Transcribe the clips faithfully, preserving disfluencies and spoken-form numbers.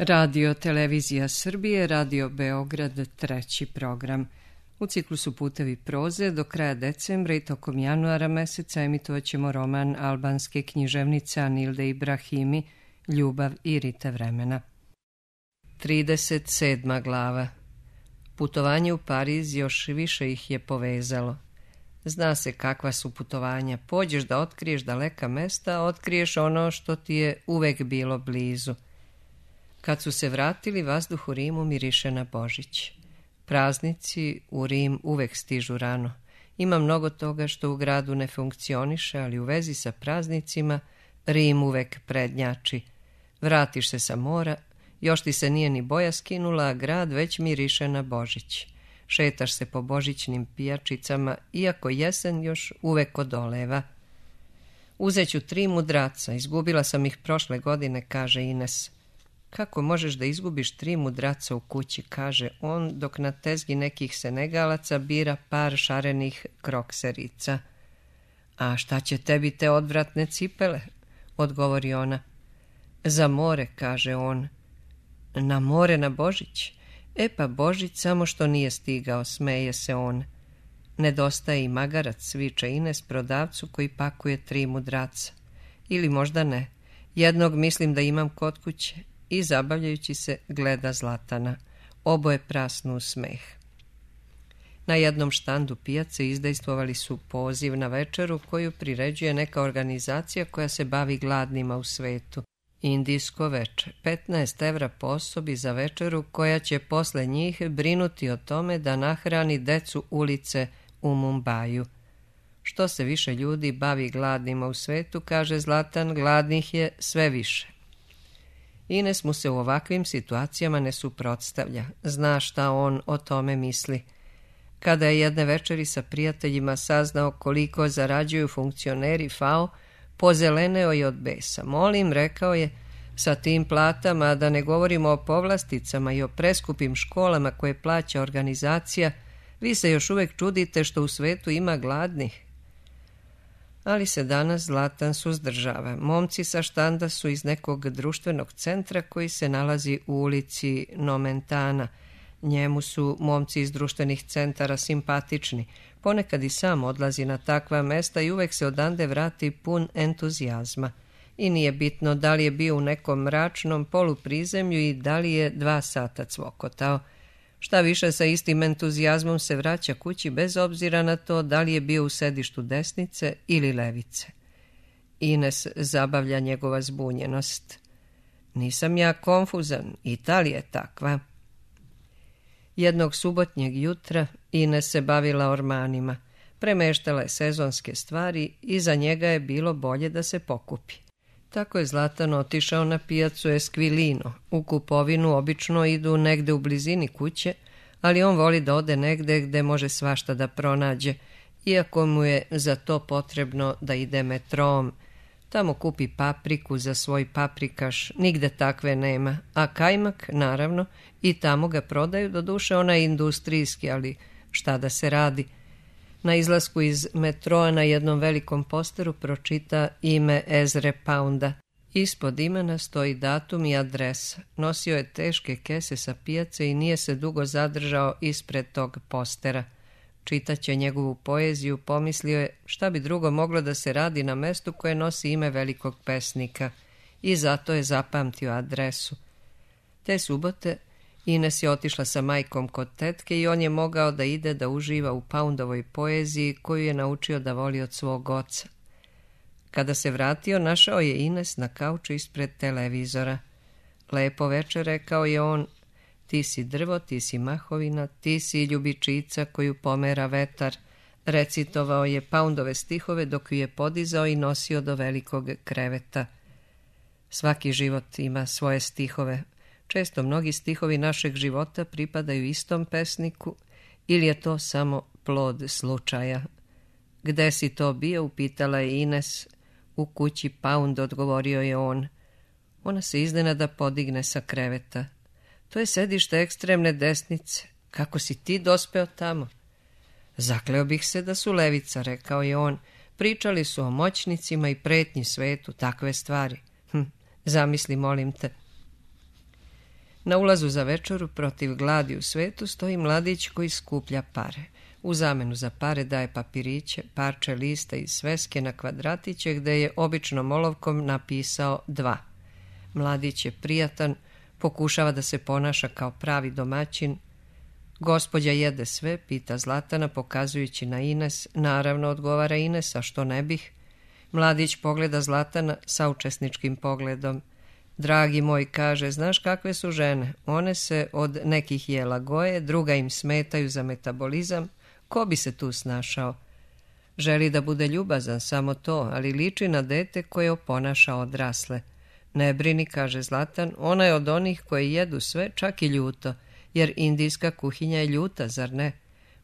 Radio Televizija Srbije, Radio Beograd, treći program. U ciklusu Putevi proze do kraja decembra i tokom januara meseca emitovat ćemo roman albanske književnice Anilde Ibrahimi Ljubav i rite vremena. trideset sedma glava. Putovanje u Pariz još više ih je povezalo. Zna se kakva su putovanja. Pođeš da otkriješ daleka mesta, a otkriješ ono što ti je uvek bilo blizu. Kad su se vratili, vazduh u Rimu miriše na Božić. Praznici u Rim uvek stižu rano. Ima mnogo toga što u gradu ne funkcioniše, ali u vezi sa praznicima Rim uvek prednjači. Vratiš se sa mora, još ti se nije ni boja skinula, a grad već miriše na Božić. Šetaš se po božićnim pijačicama, iako jesen još uvek odoleva. Uzeću tri mudraca, izgubila sam ih prošle godine, kaže Ines. Kako možeš da izgubiš tri mudraca u kući, kaže on, dok na tezgi nekih Senegalaca bira par šarenih krokserica. A šta će tebi te odvratne cipele, odgovori ona. Za more, kaže on. Na more na Božić? E pa Božić samo što nije stigao, smeje se on. Nedostaje i magarac, viče Ines prodavcu koji pakuje tri mudraca. Ili možda ne. Jednog mislim da imam kod kuće. I zabavljajući se gleda Zlatana. Oboje prasnu u smeh. Na jednom štandu pijace izdejstvovali su poziv na večeru koju priređuje neka organizacija koja se bavi gladnima u svetu. Indijsko veče. petnaest evra po osobi za večeru koja će posle njih brinuti o tome da nahrani decu ulice u Mumbaju. Što se više ljudi bavi gladnima u svetu, kaže Zlatan, gladnih je sve više. Ines mu se u ovakvim situacijama ne suprotstavlja. Zna šta on o tome misli. Kada je jedne večeri sa prijateljima saznao koliko zarađuju funkcioneri F A O, pozeleneo je od besa. Molim, rekao je, sa tim platama, da ne govorimo o povlasticama i o preskupim školama koje plaća organizacija, vi se još uvek čudite što u svetu ima gladnih. Ali se danas Zlatan suzdržava. Momci sa štanda su iz nekog društvenog centra koji se nalazi u ulici Nomentana. Njemu su momci iz društvenih centara simpatični. Ponekad i sam odlazi na takva mesta i uvek se odande vrati pun entuzijazma. I nije bitno da li je bio u nekom mračnom poluprizemlju i da li je dva sata cvokotao. Šta više, sa istim entuzijazmom se vraća kući bez obzira na to da li je bio u sedištu desnice ili levice. Ines zabavlja njegova zbunjenost. Nisam ja konfuzan, Italija je takva. Jednog subotnjeg jutra Ines se bavila ormanima. Premeštala je sezonske stvari i za njega je bilo bolje da se pokupi. Tako je Zlatan otišao na pijacu Esquilino. U kupovinu obično idu negde u blizini kuće, ali on voli da ode negde gde može svašta da pronađe, iako mu je za to potrebno da ide metrom. Tamo kupi papriku za svoj paprikaš, nigde takve nema, a kajmak, naravno, i tamo ga prodaju, doduše onaj industrijski, ali šta da se radi. Na izlasku iz metroa na jednom velikom posteru pročita ime Ezre Pounda. Ispod imena stoji datum i adresa. Nosio je teške kese sa pijace i nije se dugo zadržao ispred tog postera. Čitaće njegovu poeziju, pomislio je šta bi drugo moglo da se radi na mestu koje nosi ime velikog pesnika. I zato je zapamtio adresu. Te subote Ines je otišla sa majkom kod tetke i on je mogao da ide da uživa u Poundovoj poeziji koju je naučio da voli od svog oca. Kada se vratio, našao je Ines na kauču ispred televizora. Lepo večer, rekao je on, ti si drvo, ti si mahovina, ti si ljubičica koju pomera vetar. Recitovao je Poundove stihove dok ju je podizao i nosio do velikog kreveta. Svaki život ima svoje stihove. Često mnogi stihovi našeg života pripadaju istom pesniku ili je to samo plod slučaja. Gde si to bio, upitala je Ines. U kući Pound, odgovorio je on. Ona se iznenada podigne sa kreveta. To je sedište ekstremne desnice. Kako si ti dospeo tamo? Zakleo bih se da su levica, rekao je on. Pričali su o moćnicima i pretnji svetu, takve stvari. Hm, zamisli, molim te. Na ulazu za večeru protiv gladi u svetu stoji mladić koji skuplja pare. U zamenu za pare daje papiriće, parče lista i sveske na kvadratiće gde je običnom olovkom napisao dva. Mladić je prijatan, pokušava da se ponaša kao pravi domaćin. Gospođa jede sve, pita Zlatana pokazujući na Ines. Naravno, odgovara Ines, a što ne bih? Mladić pogleda Zlatana saučesničkim pogledom. Dragi moj, kaže, znaš kakve su žene? One se od nekih jela goje, druga im smetaju za metabolizam. Ko bi se tu snašao? Želi da bude ljubazan, samo to, ali liči na dete koje oponaša odrasle. Ne brini, kaže Zlatan, ona je od onih koje jedu sve, čak i ljuto, jer indijska kuhinja je ljuta, zar ne?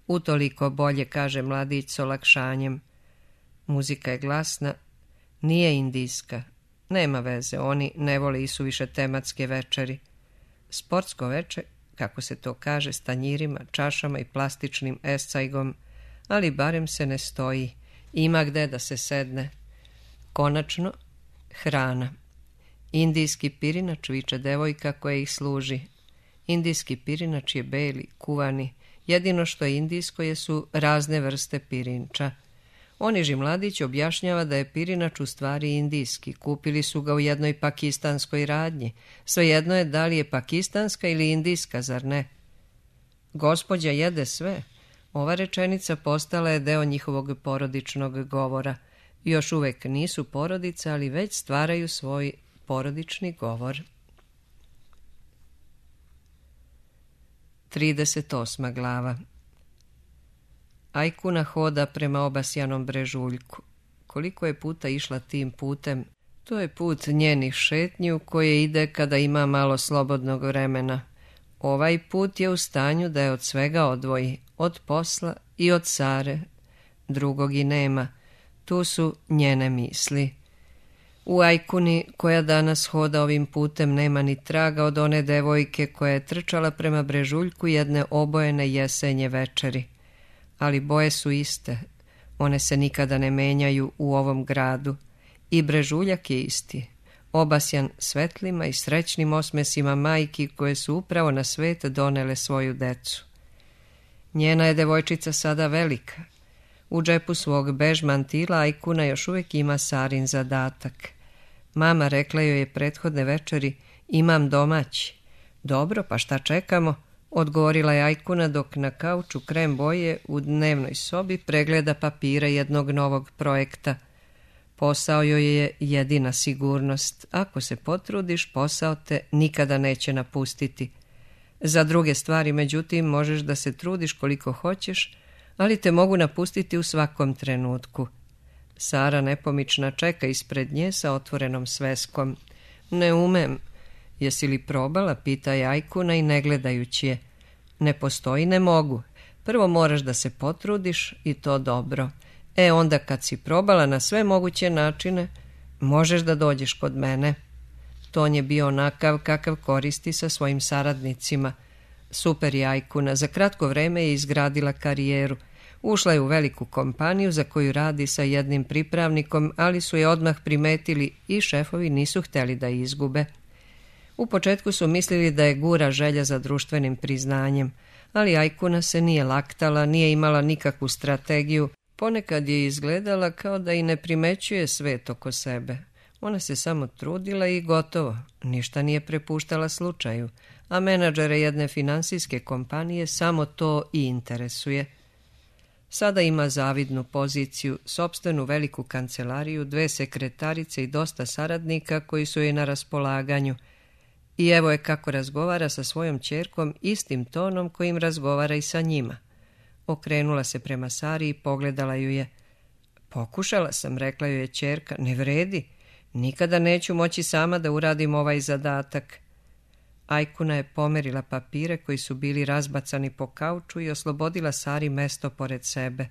Utoliko bolje, kaže mladić s olakšanjem. Muzika je glasna, nije indijska. Nema veze, oni ne vole i suviše tematske večeri. Sportsko veče, kako se to kaže, s tanjirima, čašama i plastičnim escajgom, ali barem se ne stoji, ima gde da se sedne. Konačno, hrana. Indijski pirinač, viče devojka koja ih služi. Indijski pirinač je beli, kuvani, jedino što je indijsko jesu razne vrste pirinča. Oniži mladić objašnjava da je pirinač u stvari indijski, kupili su ga u jednoj pakistanskoj radnji. Svejedno je da li je pakistanska ili indijska, zar ne? Gospođa jede sve. Ova rečenica postala je deo njihovog porodičnog govora. Još uvek nisu porodica, ali već stvaraju svoj porodični govor. trideset osma glava. Ajkuna hoda prema obasjanom brežuljku. Koliko je puta išla tim putem, to je put njenih šetnju koje ide kada ima malo slobodnog vremena. Ovaj put je u stanju da je od svega odvoji, od posla i od Sare. Drugog i nema, tu su njene misli. U Ajkuni, koja danas hoda ovim putem, nema ni traga od one devojke koja je trčala prema brežuljku jedne obojene jesenje večeri. Ali boje su iste, one se nikada ne menjaju u ovom gradu. I brežuljak je isti, obasjan svetlima i srećnim osmesima majki koje su upravo na svet donele svoju decu. Njena je devojčica sada velika. U džepu svog bež mantila Ajkuna još uvijek ima Sarin zadatak. Mama rekla joj je prethodne večeri, imam domaći. Dobro, pa šta čekamo? Odgovorila je Ajkuna dok na kauču krem boje u dnevnoj sobi pregleda papire jednog novog projekta. Posao joj je jedina sigurnost. Ako se potrudiš, posao te nikada neće napustiti. Za druge stvari, međutim, možeš da se trudiš koliko hoćeš, ali te mogu napustiti u svakom trenutku. Sara nepomična čeka ispred nje sa otvorenom sveskom. Ne umem. Jesi li probala, pita je Ajkuna i ne gledajući je. Ne postoji, ne mogu. Prvo moraš da se potrudiš i to dobro. E onda kad si probala na sve moguće načine, možeš da dođeš kod mene. Ton je bio onakav kakav koristi sa svojim saradnicima. Super je Ajkuna, za kratko vreme je izgradila karijeru. Ušla je u veliku kompaniju za koju radi sa jednim pripravnikom, ali su je odmah primetili i šefovi nisu hteli da izgube. U početku su mislili da je gura želja za društvenim priznanjem, ali Ajkuna se nije laktala, nije imala nikakvu strategiju, ponekad je izgledala kao da i ne primećuje svet oko sebe. Ona se samo trudila i gotovo, ništa nije prepuštala slučaju, a menadžere jedne finansijske kompanije samo to i interesuje. Sada ima zavidnu poziciju, sopstvenu veliku kancelariju, dve sekretarice i dosta saradnika koji su joj na raspolaganju. I evo je kako razgovara sa svojom ćerkom istim tonom kojim razgovara i sa njima. Okrenula se prema Sari i pogledala ju je. Pokušala sam, rekla ju je ćerka, ne vredi. Nikada neću moći sama da uradim ovaj zadatak. Ajkuna je pomerila papire koji su bili razbacani po kauču i oslobodila Sari mesto pored sebe.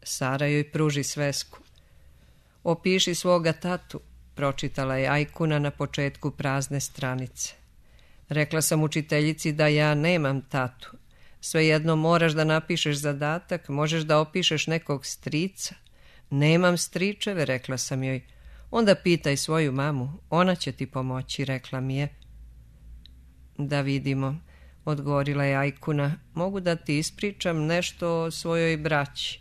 Sara joj pruži svesku. Opiši svoga tatu, pročitala je Ajkuna na početku prazne stranice. Rekla sam učiteljici da ja nemam tatu. Svejedno moraš da napišeš zadatak, možeš da opišeš nekog strica. Nemam stričeve, rekla sam joj. Onda pitaj svoju mamu, ona će ti pomoći, rekla mi je. Da vidimo, odgovorila je Ajkuna. Mogu da ti ispričam nešto o svojoj braći.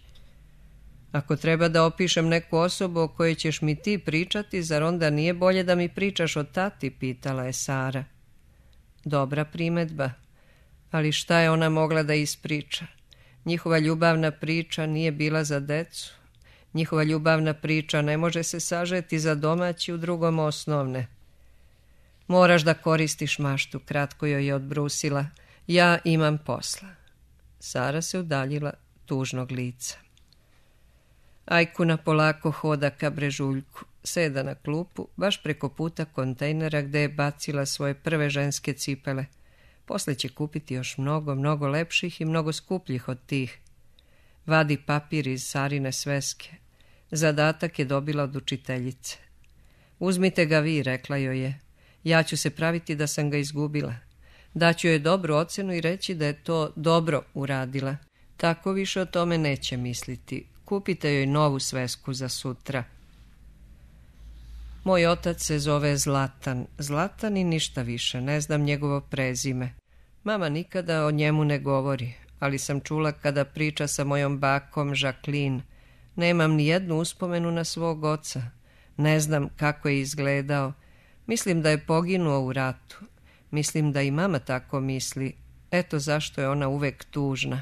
Ako treba da opišem neku osobu o kojoj ćeš mi ti pričati, zar onda nije bolje da mi pričaš o tati, pitala je Sara. Dobra primedba, ali šta je ona mogla da ispriča? Njihova ljubavna priča nije bila za decu. Njihova ljubavna priča ne može se sažeti za domaći u drugom osnovne. Moraš da koristiš maštu, kratko joj je odbrusila. Ja imam posla. Sara se udaljila tužnog lica. Ajkuna polako hoda ka brežuljku, seda na klupu, baš preko puta kontejnera gde je bacila svoje prve ženske cipele. Posle će kupiti još mnogo, mnogo lepših i mnogo skupljih od tih. Vadi papir iz Sarine sveske. Zadatak je dobila od učiteljice. Uzmite ga vi, rekla joj je. Ja ću se praviti da sam ga izgubila. Daću joj dobru ocenu i reći da je to dobro uradila. Tako više o tome neće misliti. Kupite joj novu svesku za sutra. Moj otac se zove Zlatan. Zlatan i ništa više, ne znam njegovo prezime. Mama nikada o njemu ne govori, ali sam čula kada priča sa mojom bakom Jacqueline. Nemam ni jednu uspomenu na svog oca. Ne znam kako je izgledao. Mislim da je poginuo u ratu. Mislim da i mama tako misli. Eto zašto je ona uvek tužna.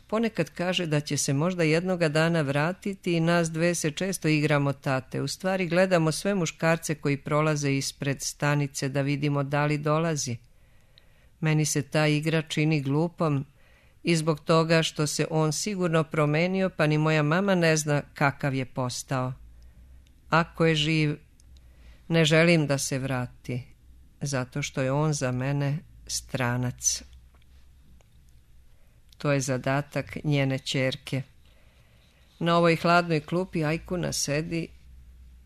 Ponekad kaže da će se možda jednoga dana vratiti i nas dve se često igramo tate. U stvari gledamo sve muškarce koji prolaze ispred stanice da vidimo da li dolazi. Meni se ta igra čini glupom i zbog toga što se on sigurno promenio, pa ni moja mama ne zna kakav je postao. Ako je živ, ne želim da se vrati, zato što je on za mene stranac. To je zadatak njene ćerke. Na ovoj hladnoj klupi Ajkuna sedi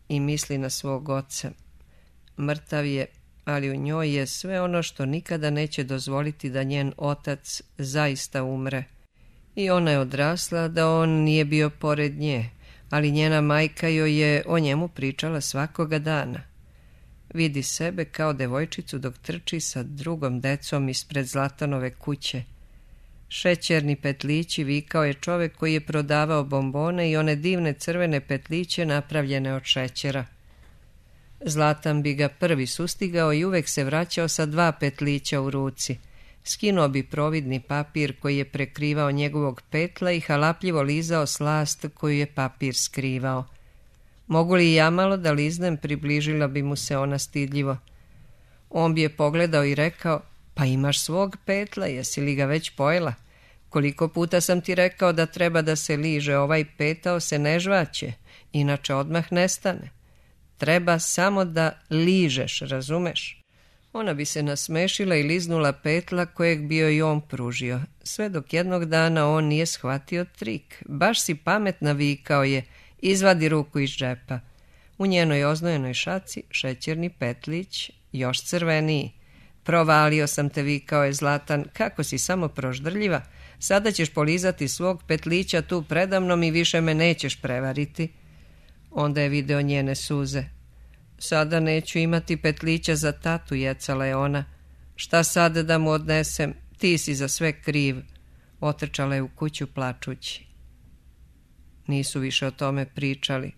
i misli na svog oca. Mrtav je, ali u njoj je sve ono što nikada neće dozvoliti da njen otac zaista umre. I ona je odrasla da on nije bio pored nje, ali njena majka joj je o njemu pričala svakoga dana. Vidi sebe kao devojčicu dok trči sa drugom decom ispred Zlatanove kuće. Šećerni petlići, vikao je čovek koji je prodavao bombone i one divne crvene petliće napravljene od šećera. Zlatan bi ga prvi sustigao i uvek se vraćao sa dva petlića u ruci. Skinuo bi providni papir koji je prekrivao njegovog petla i halapljivo lizao slast koju je papir skrivao. Mogu li ja malo da liznem, približila bi mu se ona stidljivo. On bi je pogledao i rekao, pa imaš svog petla, jesi li ga već pojela? Koliko puta sam ti rekao da treba da se liže, ovaj petao se ne žvaće, inače odmah nestane. Treba samo da ližeš, razumeš? Ona bi se nasmešila i liznula petla kojeg bio i on pružio, sve dok jednog dana on nije shvatio trik. Baš si pametna, vikao je, izvadi ruku iz džepa. U njenoj oznojenoj šaci šećerni petlić, još crveniji. Provalio sam te, vikao je Zlatan, kako si samo proždrljiva. Sada ćeš polizati svog petlića tu predamnom i više me nećeš prevariti. Onda je video njene suze. Sada neću imati petlića za tatu, jecala je ona. Šta sad da mu odnesem? Ti si za sve kriv. Otrčala je u kuću plačući. Nisu više o tome pričali.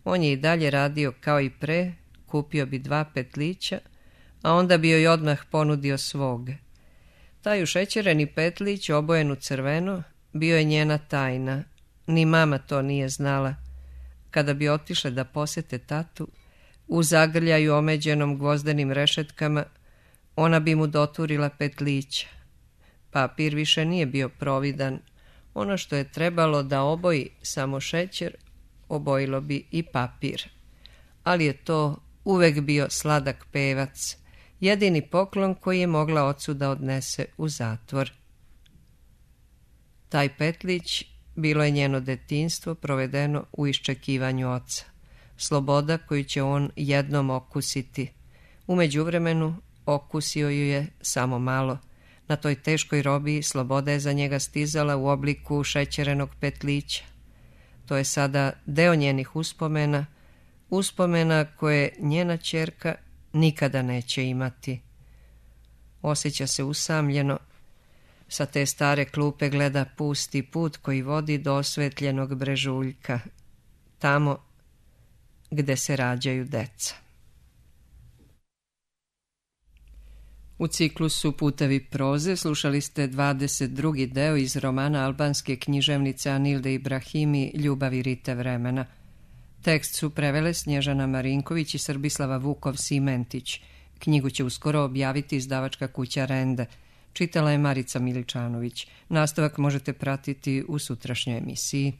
On je i dalje radio kao i pre, kupio bi dva petlića, a onda bi joj odmah ponudio svog. Taj ušećereni petlić, obojen u crveno, bio je njena tajna. Ni mama to nije znala. Kada bi otišle da posete tatu, u zagrljaju omeđenom gvozdenim rešetkama, ona bi mu doturila petlića. Papir više nije bio providan. Ono što je trebalo da oboji samo šećer, obojilo bi i papir. Ali je to uvek bio sladak pevac, jedini poklon koji je mogla ocu da odnese u zatvor. Taj petlić bilo je njeno detinjstvo provedeno u iščekivanju oca. Sloboda koju će on jednom okusiti. U međuvremenu okusio ju je samo malo. Na toj teškoj robiji sloboda je za njega stizala u obliku šećerenog petlića. To je sada deo njenih uspomena, uspomena koje njena ćerka nikada neće imati. osjeća se usamljeno. Sa te stare klupe gleda pusti put koji vodi do osvetljenog brežuljka, tamo gde se rađaju deca. U ciklusu Putevi proze slušali ste dvadeset drugi deo iz romana albanske književnice Anilde Ibrahimi Ljubav i rite vremena. Tekst su prevele Snježana Marinković i Srbislava Vukov-Simentić. Knjigu će uskoro objaviti izdavačka kuća Rende. Čitala je Marica Miličanović. Nastavak možete pratiti u sutrašnjoj emisiji.